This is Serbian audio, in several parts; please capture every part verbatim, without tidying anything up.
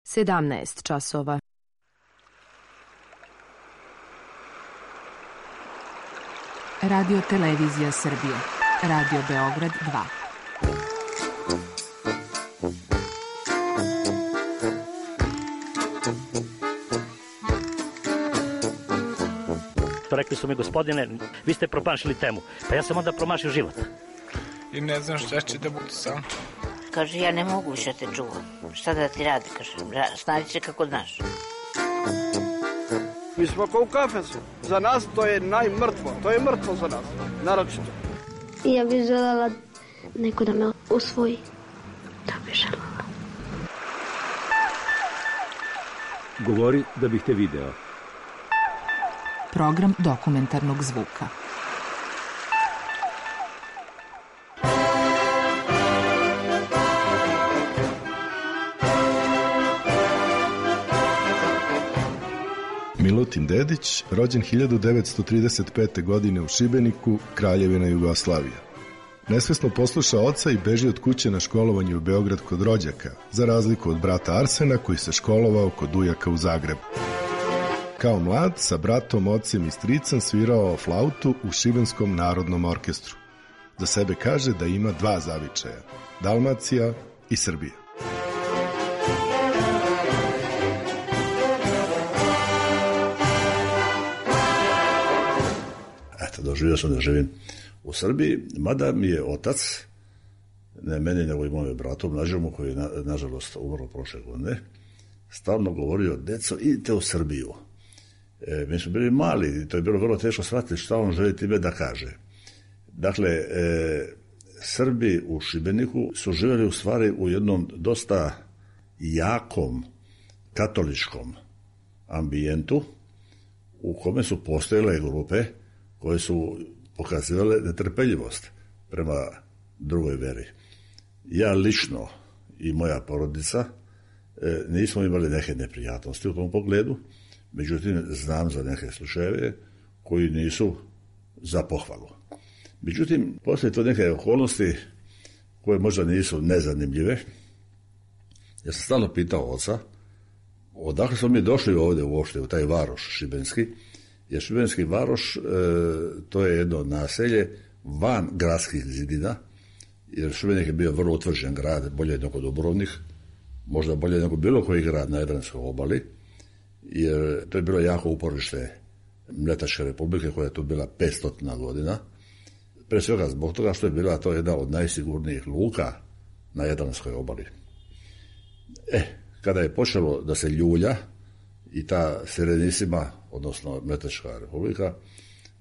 sedamnaest časova. Radio Televizija Srbije. Radio Beograd dva. Rekli su mi, gospodine, vi ste promašili temu. Pa ja sam onda promašio život. I ne znam šta će da bude sam. Kaže, ja ne mogu više te čuvam. Šta da ti radi, kaže, snađi se kako znaš. Mi smo kao u kafesu. Za nas to je najmrtvo. To je mrtvo za nas, naročito. Ja bih želela neko da me usvoji. Da bih želela. Govori da bih te video. Program dokumentarnog zvuka. Milutin Dedić, rođen hiljadu devetsto trideset pete. godine u Šibeniku, Kraljevina Jugoslavija. Nesvesno posluša oca i beži od kuće na školovanje u Beograd kod rođaka, za razliku od brata Arsena koji se školovao kod ujaka u Zagrebu. Kao mlad, sa bratom, ocem i stricem svirao flautu u Šibenskom narodnom orkestru. Za sebe kaže da ima dva zavičaja, Dalmacija i Srbija. Eto, doživio sam da živim u Srbiji, mada mi je otac, ne meni nego i mojom bratom Nađemu, koji je na, nažalost umro prošle godine, stalno govorio, deco, idite u Srbiju. E, mi smo bili mali i to je bilo vrlo teško shvatiti šta on želi time da kaže. Dakle, e, Srbi u Šibeniku su živjeli u stvari u jednom dosta jakom katoličkom ambijentu u kome su postojale grupe koje su pokazivale netrpeljivost prema drugoj veri. Ja lično i moja porodica e, nismo imali neke neprijatnosti u tom pogledu, međutim znam za neke slučajeve koji nisu za pohvalu. Međutim, postoje to neke okolnosti koje možda nisu nezanimljive. Ja sam stalno pitao oca odakle smo mi došli ovdje uopšte u taj varoš šibenski, jer Šibenski varoš e, to je jedno naselje van gradskih zidina, jer Šibenik je bio vrlo utvrđen grad, bolje nego Dubrovnik, možda bolje nego bilo koji grad na Jadranskoj obali, jer to je bilo jako uporište Mletačke republike koja je tu bila petsto godina, pre svega zbog toga što je bila to jedna od najsigurnijih luka na Jadranskoj obali. E, kada je počelo da se ljulja i ta Serenisima, odnosno Mletačka republika,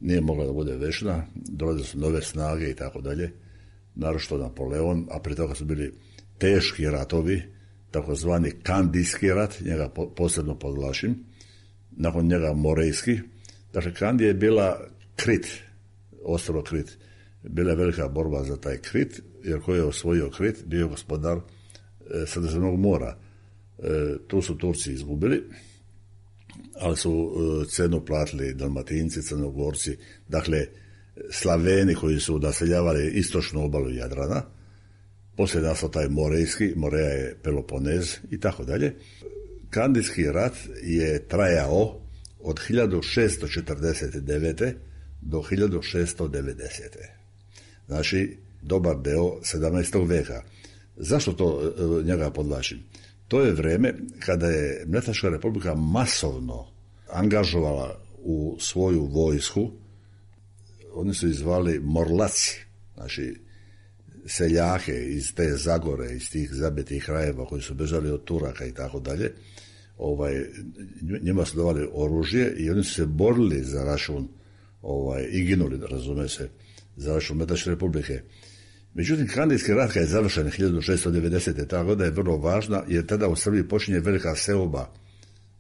nije mogla da bude večna, dolazile su nove snage i tako dalje, naročito Napoleon, a prije toga su bili teški ratovi, takozvani Kandijski rat, njega posebno podvlačim, nakon njega Morejski. Dakle, Kandija je bila Krit, ostrvo Krit. Bila je velika borba za taj Krit, jer ko je osvojio Krit, bio je gospodar e, Sredozemnog mora. E, tu su Turci izgubili, ali su e, cenu platili Dalmatinci, Crnogorci, dakle, Slaveni koji su naseljavali istočnu obalu Jadrana. Poslije nastao taj Morejski, Moreja je Peloponez i tako dalje. Kandijski rat je trajao od hiljadu šesto četrdeset devete do hiljadu šesto devedesete. Znači, dobar deo sedamnaestog veka. Zašto to e, njega podvlačim? To je vreme kada je Mletačka republika masovno angažovala u svoju vojsku, oni su izvali Morlaci, znači seljake iz te Zagore, iz tih zabitih krajeva koji su bežali od Turaka i tako dalje, ovaj, njima su davali oružje i oni su se borili za račun ovaj, i ginuli, razume se, za račun Mletačke republike. Međutim, Kandijski rat kad je završen hiljadu šesto devedesete. ta godina je vrlo važna, jer tada u Srbiji počinje velika seoba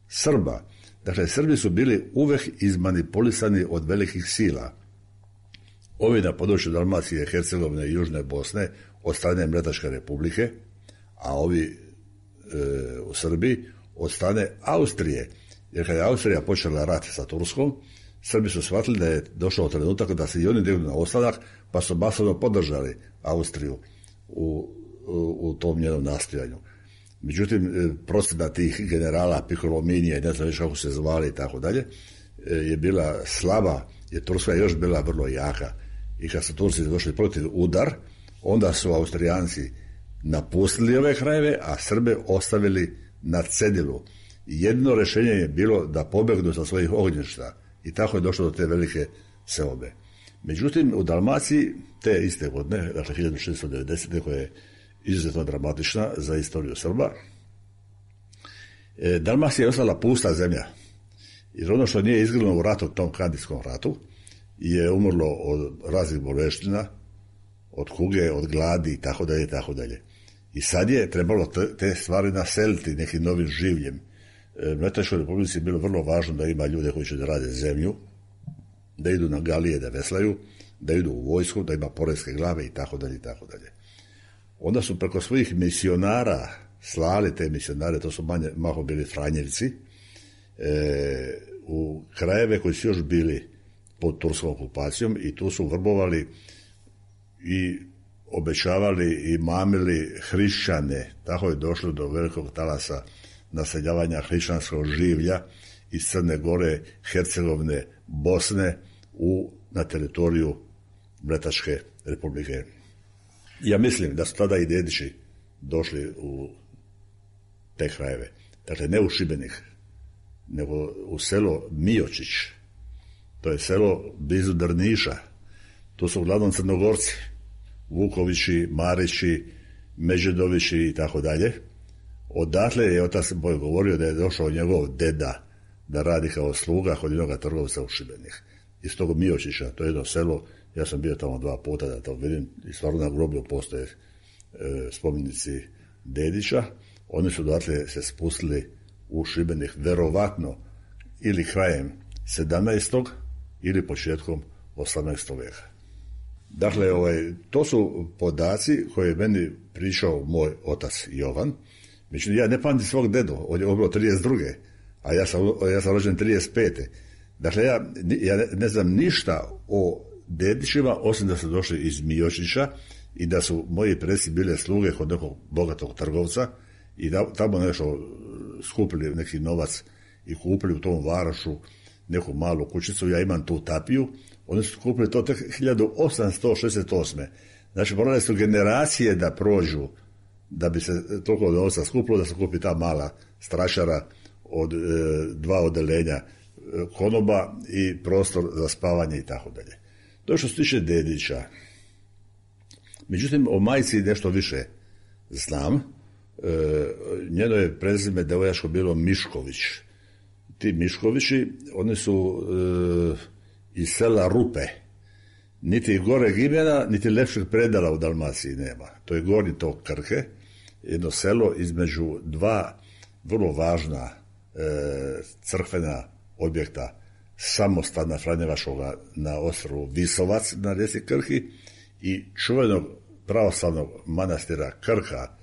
Srba. Dakle, Srbi su bili uvek izmanipulisani od velikih sila. Ovi na području Dalmacije, Hercegovine i Južne Bosne od strane Mletačke republike, a ovi e, u Srbiji od strane Austrije. Jer kada je Austrija počela rat sa Turskom, Srbi su shvatili da je došao trenutak da se i oni dignu na ostanak, pa su masovno podržali Austriju u, u, u tom njenom nastojanju. Međutim, procjena tih generala Piccolomini i ne znam već kako se zvali i tako dalje, je bila slaba, jer Turska je još bila vrlo jaka. I kad su Turci došli protiv udar, onda su Austrijanci napustili ove krajeve, a Srbe ostavili na cedilu. Jedno rješenje je bilo da pobegnu sa svojih ognjišta i tako je došlo do te velike seobe. Međutim, u Dalmaciji te iste godine, dakle hiljadu šesto devedesete. koja je izuzetno dramatična za istoriju Srba, e, Dalmacija je ostala pusta zemlja. Jer ono što nije izginulo u ratu, tom Kandijskom ratu, je umrlo od raznih boleština, od kuge, od gladi i tako dalje i tako dalje. I sad je trebalo te, te stvari naseliti nekim novim življem. E, Mletačkoj Republici je bilo vrlo važno da ima ljude koji će da rade zemlju, da idu na galije da veslaju, da idu u vojsku, da ima poreske glave i tako dalje i tako dalje. Onda su preko svojih misionara slali te misionare, to su manje, malo bili Franjevci, e, u krajeve koji su još bili pod turskom okupacijom i tu su vrbovali i obećavali i mamili hrišćane. Tako je došlo do velikog talasa naseljavanja hrišćanskog življa iz Crne Gore, Hercegovine, Bosne u, na teritoriju Mletačke Republike. Ja mislim da su tada i dedići došli u te krajeve. Dakle, ne u Šibenik, nego u selo Miočić. To je selo blizu Drniša. To su uglavnom Crnogorci. Vukovići, Marići, Međedovići i tako dalje. Odatle je otac moj govorio da je došao njegov deda da radi kao sluga kod jednog trgovca u Šibenik. Iz tog Miočića, to je jedno selo, ja sam bio tamo dva puta da to vidim i stvarno na groblju postoje e, spomenici Dedića. Oni su odatle se spustili u Šibenik verovatno ili krajem sedamnaestog ili početkom osamnaestog vijeka. Dakle, ovaj, to su podaci koje je meni pričao moj otac Jovan. Međutim, ja ne pamtim svog dedu, on je bilo trideset druge. a ja sam, ja sam rođen trideset pete. Dakle, ja, ja ne, ne znam ništa o dedićima, osim da su došli iz Miočića i da su moji preci bile sluge kod nekog bogatog trgovca i da, tamo nešto skupili neki novac i kupili u tom Varašu neku malu kućicu. Ja imam tu tapiju. Oni su kupili to tek hiljadu osamsto šezdeset osme. Znači, morale su generacije da prođu da bi se toliko novca skupilo da se kupi ta mala strašara od e, dva odelenja e, konoba i prostor za spavanje i tako dalje. To je što se tiče dedića. Međutim, o majci nešto više znam. E, njeno je prezime devojačko bilo Mišković. Ti Miškovići, oni su e, iz sela Rupe. Niti goreg imena, niti lepšeg predala u Dalmaciji nema. To je gornji tok Krke, jedno selo između dva vrlo važna e, crkvena objekta samostana Franjevačkoga na ostrvu Visovac na rijeci Krki i čuvenog pravoslavnog manastira Krka,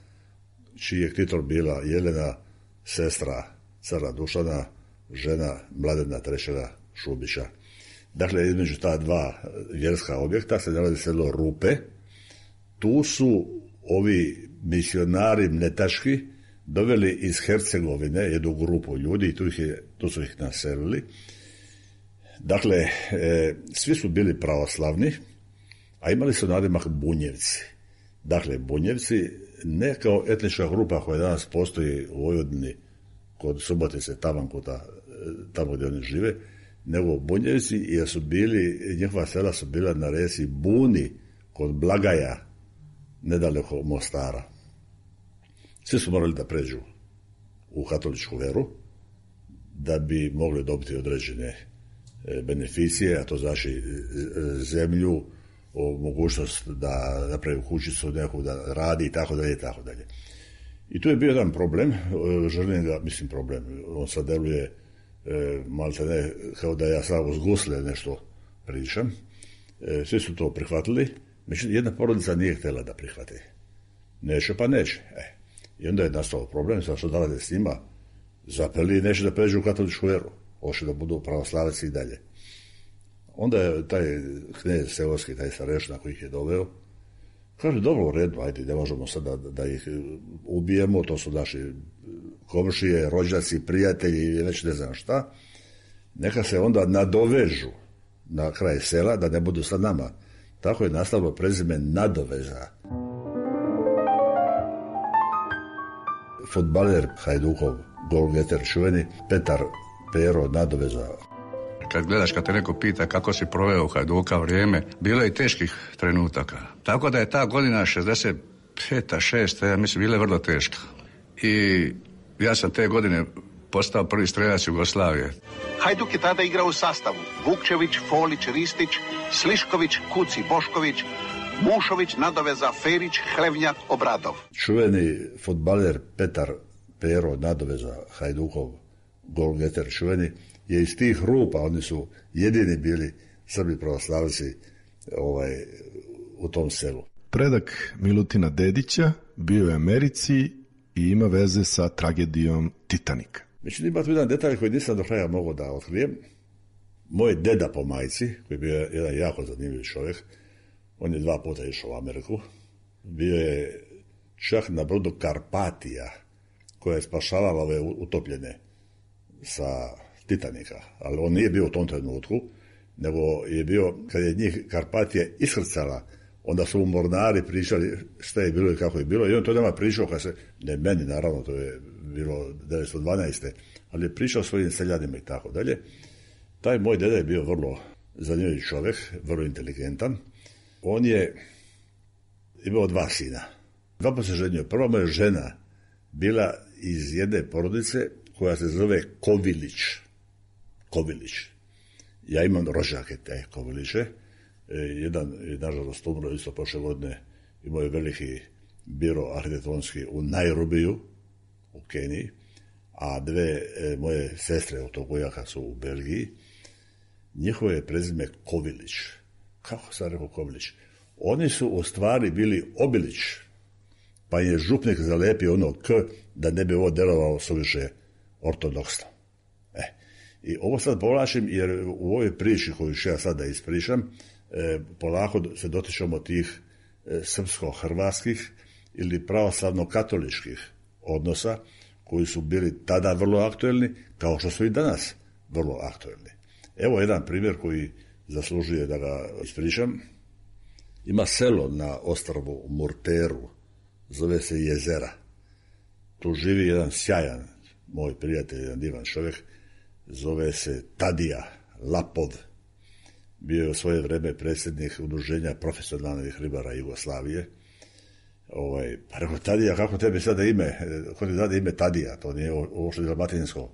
čiji je ktitor bila Jelena, sestra cara Dušana, žena Mladena trećega Šubića. Dakle, između ta dva vjerska objekta se nalazi selo Rupe. Tu su ovi misionari mletački doveli iz Hercegovine jednu grupu ljudi i tu, ih je, tu su ih naselili. Dakle, e, svi su bili pravoslavni, a imali su nadimak Bunjevci. Dakle, Bunjevci ne kao etnička grupa koja danas postoji u Vojvodini kod Subotice, Tavankuta, tamo gdje oni žive, nego Bunjevci, jer su bili, njihova sela su bila na reci Buni kod Blagaja, nedaleko Mostara. Svi su morali da pređu u katoličku veru da bi mogli dobiti određene beneficije, a to znači zemlju, mogućnost da napravi kućicu neku, da radi i tako dalje i tako dalje. I tu je bio jedan problem, želim ga, mislim problem, on sad deluje E, malte ne, kao da ja sam uz gusle nešto pričam. E, svi su to prihvatili, međutim jedna porodica nije htjela da prihvati. Neće pa neće. E. I onda je nastao problem, sad što da rade s njima, zapeli i neće da pređu u katoličku veru, hoće da budu pravoslavci i dalje. Onda je taj knez seoski, taj starešna koji ih je doveo, Kaže, dobro, u redu, ajde, ne možemo sada da, da ih ubijemo, to su naši komšije, rođaci, prijatelji ili već ne znam šta. Neka se onda nadovežu na kraj sela, da ne budu sa nama. Tako je nastavilo prezime Nadoveza. Fudbaler Hajdukov, golgeter čuveni, Petar Pero Nadoveza. Kad gledaš, kad te neko pita kako si proveo u Hajduka vrijeme, bilo je i teških trenutaka. Tako da je ta godina šezdeset peta, šesta, ja mislim, bila je vrlo teška. I ja sam te godine postao prvi strelac Jugoslavije. Hajduk je tada igrao u sastavu Vukčević, Folić, Ristić, Slišković, Kuci, Bošković, Mušović, Nadoveza, Ferić, Hlevnjak, Obradov. Čuveni fudbaler Petar Pero Nadoveza, Hajdukov, golgeter čuveni, je iz tih rupa, oni su jedini bili Srbi pravoslavci ovaj, u tom selu. Predak Milutina Dedića bio je u Americi i ima veze sa tragedijom Titanika. Međutim, ima tu jedan detalj koji nisam do kraja mogao da otkrijem. Moj deda po majci, koji je bio jedan jako zanimljiv čovjek, on je dva puta išao u Ameriku, bio je čak na brodu Karpatija, koja je spašavala ove utopljene sa Titanika, ali on nije bio u tom trenutku, nego je bio, kad je njih Karpatija iskrcala, onda su mu mornari pričali šta je bilo i kako je bilo, i on to nama pričao, kad se, ne meni naravno, to je bilo devetsto dvanaeste. ali je pričao svojim seljanima i tako dalje. Taj moj deda je bio vrlo zanimljiv čovjek, vrlo inteligentan. On je imao dva sina. Dva pa se ženio. Prva moja žena bila iz jedne porodice koja se zove Kovilić. Kovilić. Ja imam rođake te Koviliće. E, jedan je nažalost umro isto prošle godine, imao je veliki biro arhitektonski u Nairobiju, u Keniji, a dve e, moje sestre od tog ujaka su u Belgiji. Njihovo je prezime Kovilić. Kako sam rekao Kovilić? Oni su u stvari bili Obilić, pa je župnik zalepio ono K da ne bi ovo delovalo suviše ortodoksno. E, i ovo sad povlačim jer u ovoj priči koju ću ja sad da ispričam, e, polako se dotičemo tih e, srpsko-hrvatskih ili pravoslavno-katoličkih odnosa koji su bili tada vrlo aktuelni, kao što su i danas vrlo aktuelni. Evo jedan primjer koji zaslužuje da ga ispričam. Ima selo na ostrvu Murteru, zove se Jezera. Tu živi jedan sjajan moj prijatelj, jedan divan čovjek, zove se Tadija Lapov. Bio je u svoje vreme predsjednik udruženja profesionalnih ribara Jugoslavije. Ovaj, pa rekao, Tadija, kako tebi sada ime? Ko ti dade ime Tadija? To nije ovo što je dalmatinsko.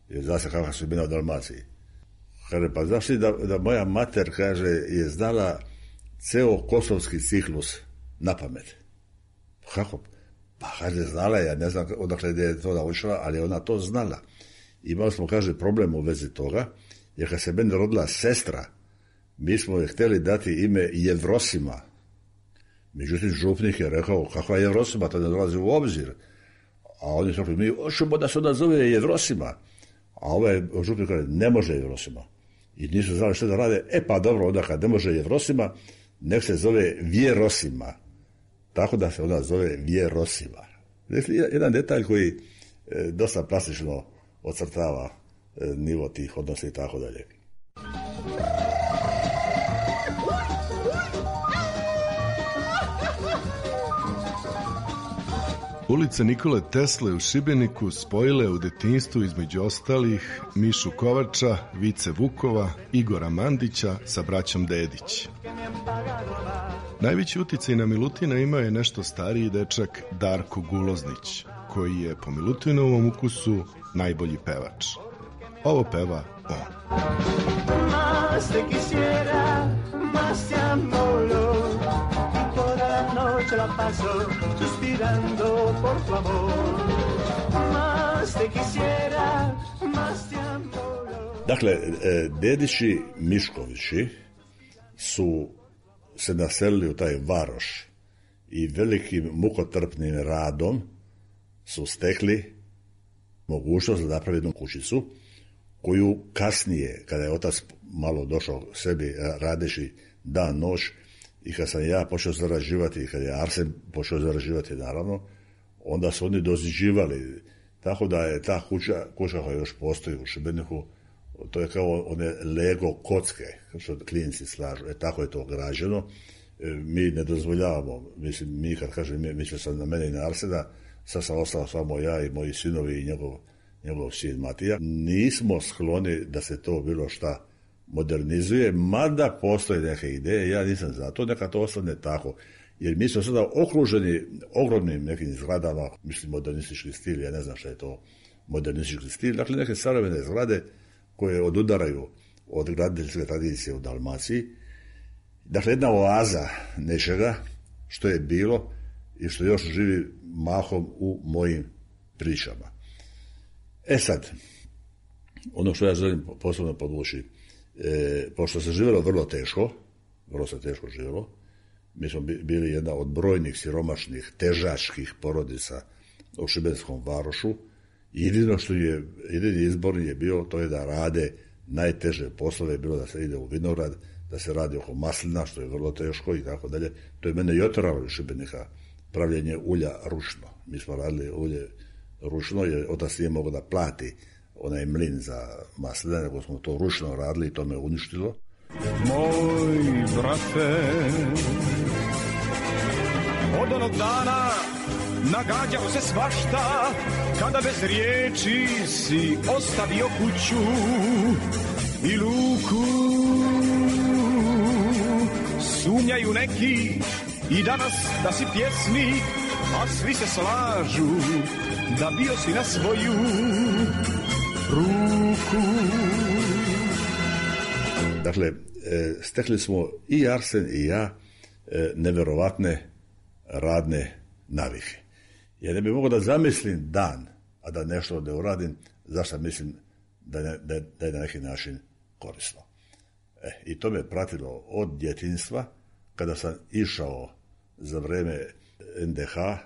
Jer zna se kakva su imena u Dalmaciji. Kaže, pa znaš ti da, da moja mater, kaže, je znala ceo kosovski ciklus na pamet. Kako? Pa kaže, znala je, ja ne znam odakle je to naučila, ali ona to znala. Imali smo, kaže, problem u vezi toga, jer kad se meni rodila sestra, mi smo je htjeli dati ime Jevrosima. Međutim, župnik je rekao, kakva je Jevrosima, to ne dolazi u obzir. A oni su rekli, mi hoćemo da se ona zove Jevrosima. A ovaj župnik kaže, ne može Jevrosima. I nisu znali što da rade. E pa dobro, onda kad ne može Jevrosima, nek se zove Vjerosima. Tako da se ona zove Vjerosima. Dakle, jedan detalj koji e, dosta plastično ocrtava e, nivo tih odnosa i tako dalje. Ulice Nikole Tesle u Šibeniku spojile u detinjstvu između ostalih Mišu Kovača, Vice Vukova, Igora Mandića sa braćom Dedić. Najveći uticaj na Milutina imao je nešto stariji dečak Darko Guloznić, koji je po Milutinovom ukusu najbolji pevač. Ovo peva on. Mas te quisiera, mas te amolo, toda la noche la paso suspirando por tu amor. Mas te quisiera, mas te amolo. Dakle, Dedići Miškovići su se naselili u taj varoš i velikim mukotrpnim radom su stekli mogućnost da napravi jednu kućicu koju kasnije, kada je otac malo došao sebi radeći dan noć, i kad sam ja počeo zarađivati, i kad je Arsen počeo zarađivati, naravno, onda su oni doziđivali. Tako da je ta kuća, kuća koja još postoji u Šibeniku, to je kao one Lego kocke, što klinci slažu. E, tako je to građeno. E, mi ne dozvoljavamo, mislim, mi kad kažem, mi, mislio sam na mene i na Arsena, sad sam ostao samo ja i moji sinovi i njegov, njegov sin Matija. Nismo skloni da se to bilo šta modernizuje, mada postoje neke ideje, ja nisam za to, neka to ostane tako. Jer mi smo sada okruženi ogromnim nekim zgradama, mislim modernistički stil, ja ne znam šta je to modernistički stil, dakle neke savremene zgrade koje odudaraju od graditeljske tradicije u Dalmaciji. Dakle, jedna oaza nečega što je bilo i što još živi mahom u mojim pričama. E sad, ono što ja želim posebno podvući, e, pošto se živjelo vrlo teško, vrlo se teško živjelo, mi smo bili jedna od brojnih siromašnih, težačkih porodica u Šibenskom Varošu. Jedino što je, jedini izbor je bio to je da rade najteže poslove, bilo da se ide u vinograd, da se radi oko maslina, što je vrlo teško i tako dalje. To je mene i oteralo iz Šibenika, pravljenje ulja ručno. Mi smo radili ulje ručno, jer otac nije mogao da plati onaj mlin za maslina, nego smo to ručno radili i to me uništilo. Moj brate, od onog dana nagađao se svašta, kada bez riječi si ostavio kuću i luku. Sumnjaju neki i danas da si pjesnik, a svi se slažu da bio si na svoju ruku. Dakle, stekli smo i Arsen i ja neverovatne radne navike. Ja ne bih mogao da zamislim dan, a da nešto ne uradim, zašto mislim da, ne, da, da je na neki način korisno. E, I to me pratilo od djetinjstva, kada sam išao za vreme en de ha,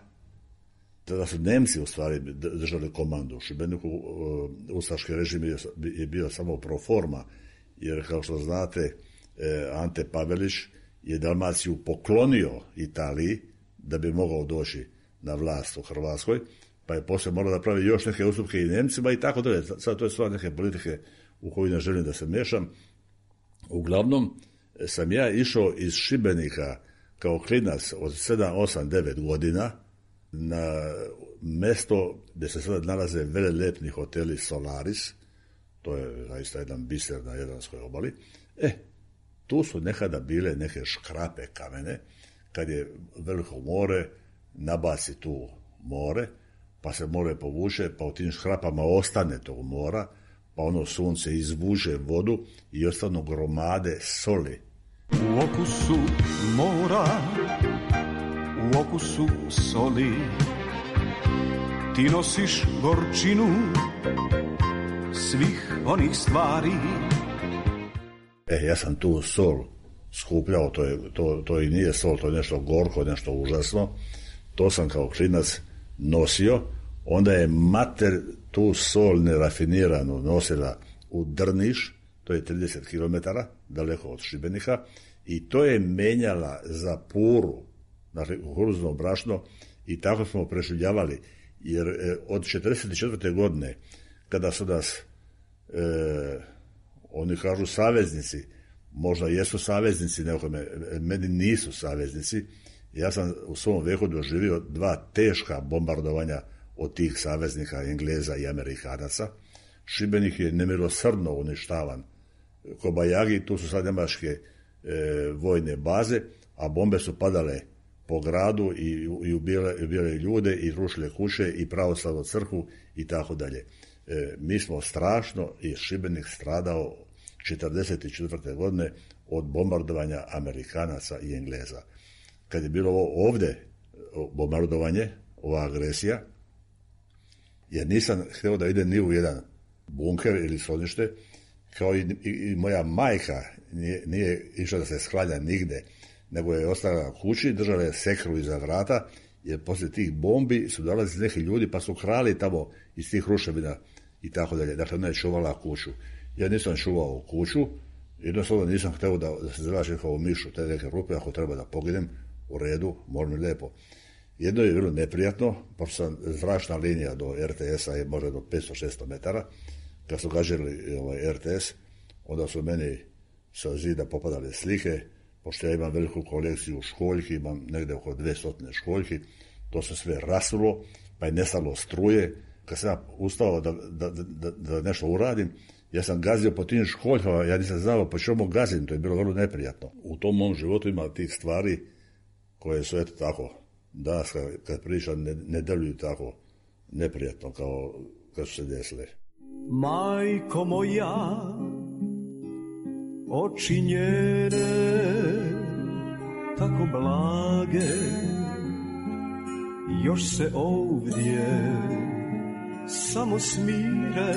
tada su Nemci u stvari držali komandu u Šibeniku, ustaški režim je bio samo pro forma, jer kao što znate, Ante Pavelić je Dalmaciju poklonio Italiji da bi mogao doći na vlast u Hrvatskoj, pa je poslije morao da pravi još neke ustupke i Nemcima i tako dalje. Sad to je stvar neke politike u koju ne želim da se mešam. Uglavnom sam ja išao iz Šibenika kao klinac od sedam, osam, devet godina na mesto gdje se sada nalaze velelepni hoteli Solaris, to je zaista jedan biser na Jadranskoj obali. E, tu su nekada bile neke škrape kamene, kad je veliko more, nabaci tu more, pa se more povuče, pa u tim škrapama ostane tog mora, pa ono sunce izvuče vodu i ostanu gromade soli. U okusu mora, u okusu soli, ti nosiš gorčinu svih onih stvari. E, ja sam tu sol skupljao, to, je, to, to i nije sol, to je nešto gorko, nešto užasno. To sam kao klinac nosio, onda je mater tu sol nerafiniranu nosila u Drniš, to je trideset kilometara daleko od Šibenika, i to je menjala za puru, znači kukuruzno brašno, i tako smo preživljavali, jer e, od četrdeset četvrte godine, kada su nas, e, oni kažu saveznici, možda jesu saveznici, nekome, meni nisu saveznici, ja sam u svom veku doživio dva teška bombardovanja od tih saveznika, Engleza i Amerikanaca. Šibenik je nemilosrdno uništavan. Kobajagi, tu su sad njemačke e, vojne baze, a bombe su padale po gradu i, i ubijale, ubijale ljude i rušile kuće i pravoslavnu crkvu i tako dalje. E, mi smo strašno i Šibenik stradao četrdeset četvrte godine od bombardovanja Amerikanaca i Engleza. Kad je bilo ovo ovdje bombardovanje, ova agresija, jer nisam htio da ide ni u jedan bunker ili sklonište, kao i, i, i moja majka nije, nije išla da se sklanja nigde, nego je ostala na kući, držala je sekru iza vrata, jer poslije tih bombi su dolazili neki ljudi pa su krali tamo iz tih ruševina i tako dalje. Dakle, ona je čuvala kuću. Ja nisam čuvao kuću, Jednostavno nisam hteo da, da se zračim kao mišu te neke rupe, ako treba da poginem, u redu, mora mi lepo. Jedno je bilo neprijatno, pošto sam zračna linija do er te esa je možda do petsto šesto metara. Kad su gađali ovaj, er te es, onda su meni sa zida popadale slike, pošto ja imam veliku kolekciju školjki, imam negde oko dvesta školjki, to se sve rasulo, pa je nestalo struje. Kad sam ja ustao da, da, da, da nešto uradim, ja sam gazio po tim školjkama, ja nisam znao po čemu gazim, to je bilo vrlo neprijatno. U tom mom životu ima tih stvari koje su eto tako, danas kad, kad pričam ne, ne deluju tako neprijatno kao kad su se desile. Majko moja, oči njene, tako blage, još se ovdje samo smire,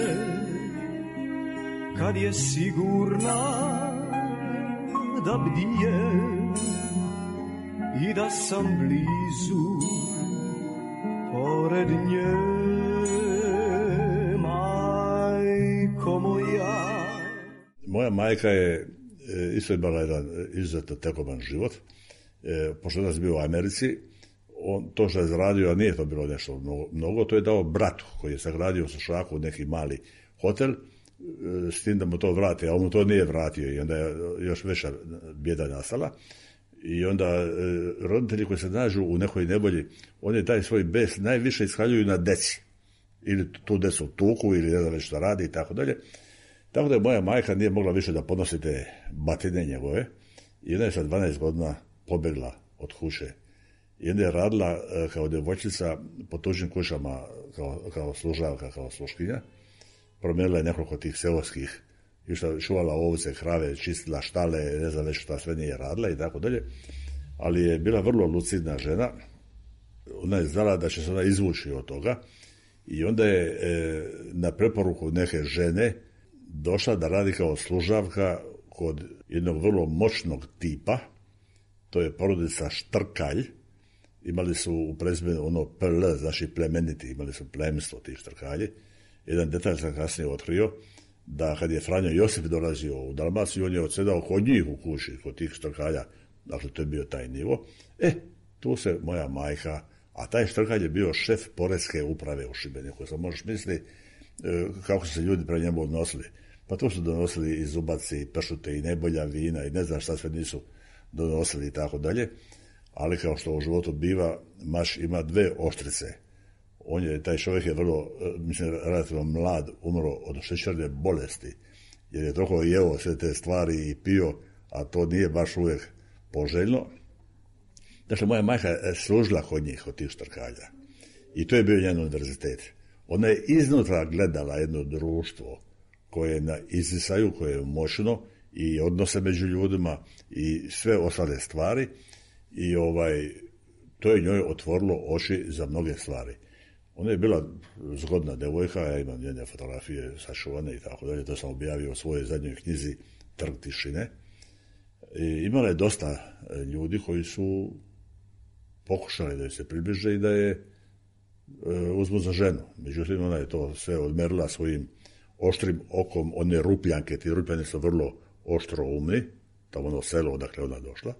kad je sigurna da bdije i da sam blizu pored nje, majko moja. Moja majka je isto imala jedan izuzetno tekoban život, e, pošto nas bio u Americi. On, to što je zaradio, a nije to bilo nešto mnogo, mnogo, to je dao bratu koji je sagradio u Šaku neki mali hotel, s tim da mu to vrati, a on mu to nije vratio i onda je još veća bijeda nastala. I onda e, roditelji koji se nađu u nekoj nevolji, oni taj svoj bes najviše iskaljuju na deci. Ili tu decu tuku, ili ne znam već šta radi i tako dalje. Tako da je moja majka nije mogla više da podnosi te batine njegove i ona je sa dvanaest godina pobegla od kuće. I onda je radila e, kao djevojčica po tuđim kućama kao, kao služavka, kao sluškinja. Promijenila je nekoliko tih seoskih, išla čuvala ovce, krave, čistila štale, ne znam već šta sve nije radila i tako dalje. Ali je bila vrlo lucidna žena. Ona je znala da će se ona izvući od toga i onda je e, na preporuku neke žene došla da radi kao služavka kod jednog vrlo moćnog tipa. To je porodica Štrkalj. Imali su u prezimenu ono P L, znači plemeniti, imali su plemstvo tih Štrkalji. Jedan detalj sam kasnije otkrio, da kad je Franjo Josip dolazio u Dalmaciju, on je odsedao kod njih u kući, kod tih Štrkalja, dakle to je bio taj nivo. E, tu se moja majka, a taj Štrkalj je bio šef poreske uprave u Šibeniku. Sam možeš misliti kako su se ljudi pre njemu odnosili. Pa tu su donosili i zubaci, i pršute, i najbolja vina, i ne znam šta sve nisu donosili i tako dalje. Ali kao što u životu biva, maš ima dve oštrice. On je, taj čovjek je vrlo, mislim, relativno mlad, umro od šećerne bolesti, jer je toliko jeo sve te stvari i pio, a to nije baš uvijek poželjno. Dakle, moja majka je služila kod njih, od tih Štrkalja. I to je bio njen univerzitet. Ona je iznutra gledala jedno društvo koje je na izdisaju, koje je moćno i odnose među ljudima i sve ostale stvari. I ovaj, to je njoj otvorilo oči za mnoge stvari. Ona je bila zgodna devojka, ja imam njene fotografije sačuvane i tako dalje, to sam objavio u svojoj zadnjoj knjizi Trg tišine. I imala je dosta ljudi koji su pokušali da joj se približe i da je e, uzmu za ženu. Međutim, ona je to sve odmerila svojim oštrim okom, one rupljanke, ti rupljani su vrlo oštro umni, tamo ono selo odakle ona došla.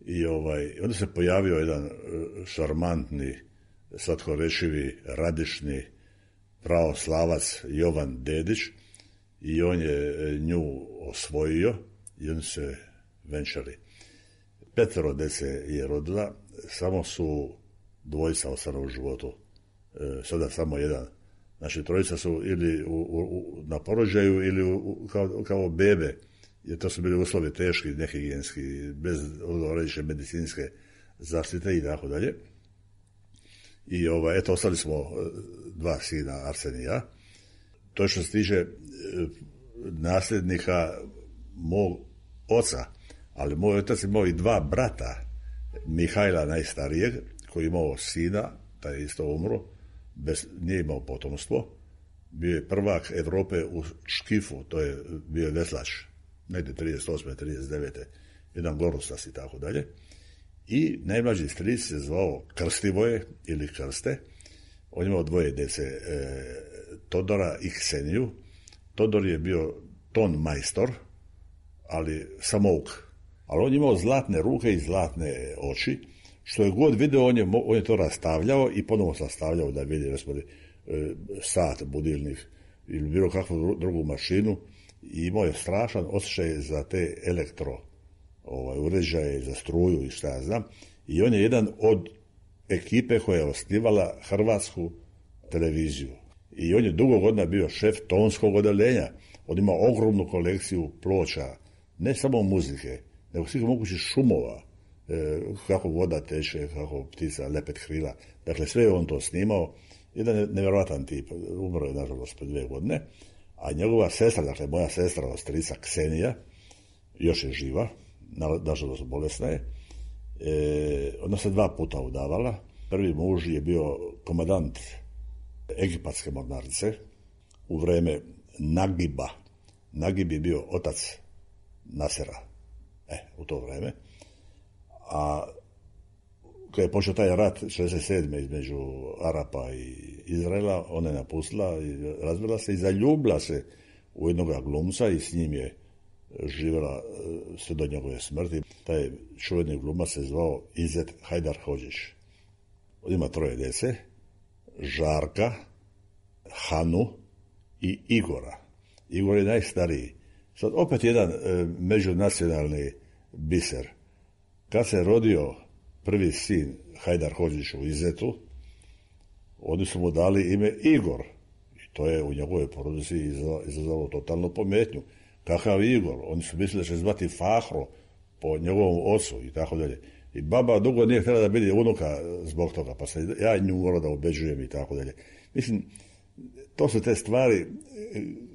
I ovaj, onda se pojavio jedan šarmantni, slatkorečivi, radišni pravoslavac Jovan Dedić i on je nju osvojio i oni se venčali. Petero dece je rodila, samo su dvojica ostala u životu, e, sada samo jedan. Znači, trojica su ili u, u, na porođaju ili u, kao, kao bebe, jer to su bili uslovi teški, nehigijenski, bez odgovarajuće medicinske zaštite i tako dalje. I ovaj, eto, ostali smo dva sina, Arsen i ja. To što se tiče nasljednika mog oca, ali moj otac imao i dva brata, Mihajla najstarijeg, koji je imao sina, taj je isto umro, bez, nije imao potomstvo, bio je prvak Evrope u škifu, to je bio veslač, negdje trideset osme trideset devete jedan Gorustas i tako dalje. I najmlađi stric se zvao Krstivoje ili Krste. On imao dvoje dece, e, Todora i Kseniju. Todor je bio ton majstor, ali samouk. Ali on je imao zlatne ruke i zlatne oči, što je god video, on je, on je to rastavljao i ponovo sastavljao da vidi, recimo, sat, budilnik ili bilo kakvu drugu mašinu, i imao je strašan osjećaj za te elektro ovaj, uređaje, za struju i šta ja znam, i on je jedan od ekipe koja je osnivala Hrvatsku televiziju. I on je dugo godina bio šef tonskog odeljenja. On ima ogromnu kolekciju ploča, ne samo muzike, nego svih mogućih šumova, e, kako voda teče, kako ptica lepet krila. Dakle, sve je on to snimao. Jedan nevjerojatan tip, umro je nažalost pre dvije godine, a njegova sestra, dakle moja sestra, ostrica Ksenija, još je živa, nažalost bolesna je, e, ona se dva puta udavala. Prvi muž je bio komandant egipatske mornarice u vreme Nagiba. Nagib je bio otac Nasera, e, u to vreme. A kad je počeo taj rat šezdeset sedme između Arapa i Izraela, ona je napustila i razvela se i zaljubila se u jednog glumca i s njim je živjela sve do njegove smrti. Taj čuveni glumac se zvao Izet Hajdarhodžić. On ima troje djece, Žarka, Hanu i Igora. Igor je najstariji. Sad opet jedan e, međunacionalni biser. Kad se rodio prvi sin Hajdarhodžić u Izetu, oni su mu dali ime Igor. I to je u njegovoj porodici izazvalo totalnu pometnju. Kakav Igor? Oni su mislili da će zvati Fahro po njegovom ocu i tako dalje. I baba dugo nije htjela da vidi unuka zbog toga, pa se ja nju morao da ubeđujem i tako dalje. Mislim, to su te stvari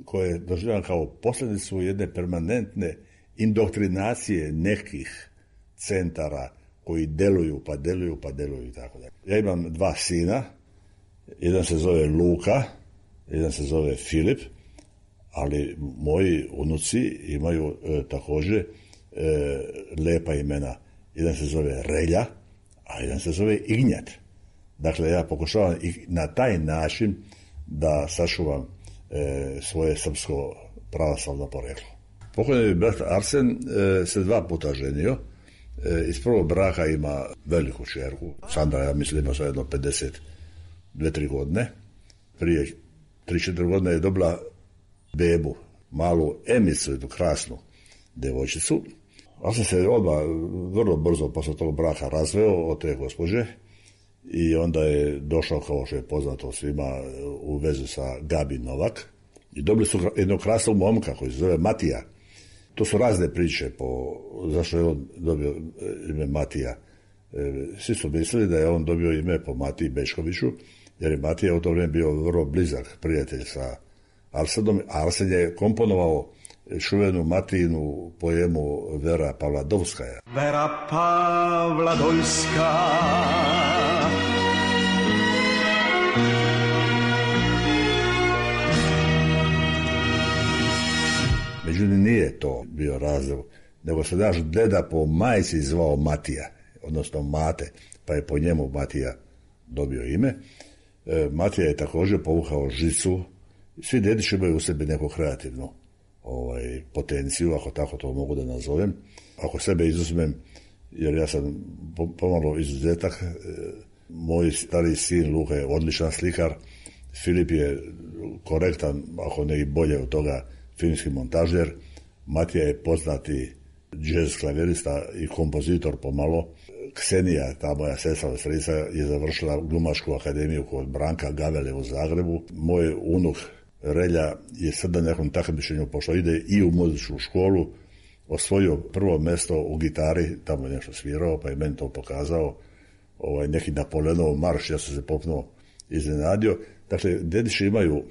koje doživljam kao posljedicu jedne permanentne indoktrinacije nekih centara koji deluju, pa deluju, pa deluju i tako dalje. Ja imam dva sina, jedan se zove Luka, jedan se zove Filip, ali moji unuci imaju e, također e, lepa imena. Jedan se zove Relja, a jedan se zove Ignjat. Dakle, ja pokušavam i na taj način da sačuvam e, svoje srpsko pravoslavno poreklo. Pokojni brat Arsen e, se dva puta ženio. E, iz prvog braka ima veliku čerku. Sandra, ja mislim, ima sve jedno pedeset dvije tri godine. Prije tri četiri godine je dobila bebu, malu Emicu, jednu krasnu devojčicu. Ja sam se odmah vrlo brzo posle tog braka razveo od te gospođe i onda je došao, kao što je poznato svima, u vezu sa Gabi Novak i dobili su jednog krasnog momka koji se zove Matija. To su razne priče po zašto je on dobio ime Matija. Svi su mislili da je on dobio ime po Matiji Bečkoviću, jer je Matija u to vrijeme bio vrlo blizak prijatelj sa Arsenom. Arsen je komponovao čuvenu Matijinu poemu Vera Pavladovskaja. Vera Pavladovska, međutim nije to bio razlog, nego se naš deda po majci zvao Matija, odnosno Mate, pa je po njemu Matija dobio ime. E, Matija je također povukao žicu. Svi dedići imaju u sebi neku kreativnu ovaj, potenciju, ako tako to mogu da nazovem. Ako sebe izuzmem, jer ja sam pomalo izuzetak, e, moj stari sin Luka je odličan slikar, Filip je korektan, ako ne i bolje od toga, filmski montažer, Matija je poznati džez klavirista i kompozitor pomalo. Ksenija, ta moja sestra ostrica, je završila glumačku akademiju kod Branka Gavele u Zagrebu. Moj unuk Relja je sad na nekom takmičenju, pošto ide i u muzičku školu, osvojio prvo mjesto u gitari, tamo je nešto svirao, pa je meni to pokazao, ovaj, neki Napoleonov marš, ja sam se popnuo iznenadio. Dakle, dedići imaju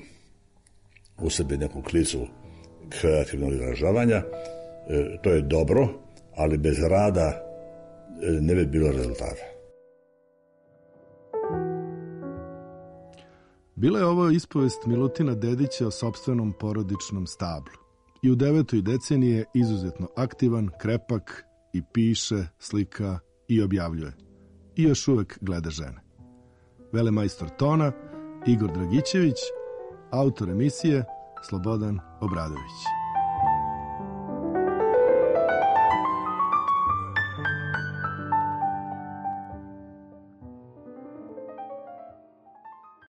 u sebi neku klicu kreativnog izražavanja, e, to je dobro, ali bez rada e, ne bi bilo rezultata. Bila je ovo ispovest Milutina Dedića o sopstvenom porodičnom stablu. I u devetoj deceniji je izuzetno aktivan, krepak i piše, slika i objavljuje. I još uvek gleda žene. Velemajstor tona Igor Dragićević, autor emisije Slobodan Obradović.